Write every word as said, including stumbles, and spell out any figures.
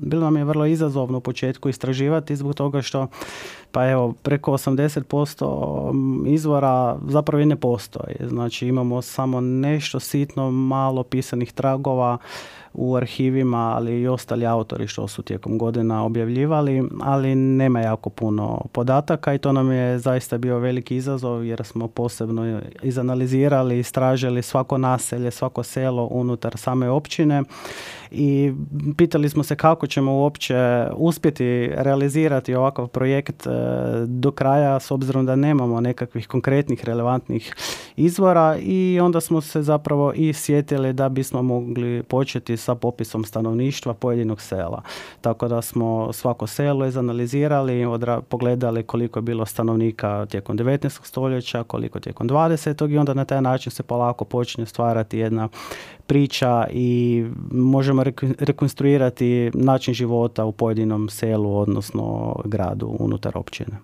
bilo nam je vrlo izazovno u početku istraživati zbog toga što pa evo, preko osamdeset posto izvora zapravo i ne postoji. Znači imamo samo nešto sitno malo pisanih tragova u arhivima, ali i ostali autori što su tijekom godina objavljivali, ali nema jako puno podataka i to nam je zaista bio veliki izazov jer smo posebno izanalizirali, istražili svako naselje, svako selo unutar same općine i pitali smo se kako ćemo uopće uspjeti realizirati ovakav projekt do kraja s obzirom da nemamo nekakvih konkretnih relevantnih izvora i onda smo se zapravo i sjetili da bismo mogli početi sa popisom stanovništva pojedinog sela. Tako da smo svako selo izanalizirali, odra- pogledali koliko je bilo stanovnika tijekom devetnaestog stoljeća, koliko tijekom dvadesetog i onda na taj način se polako počinje stvarati jedna priča i možemo rekonstruirati način života u pojedinom selu, odnosno gradu unutar općine.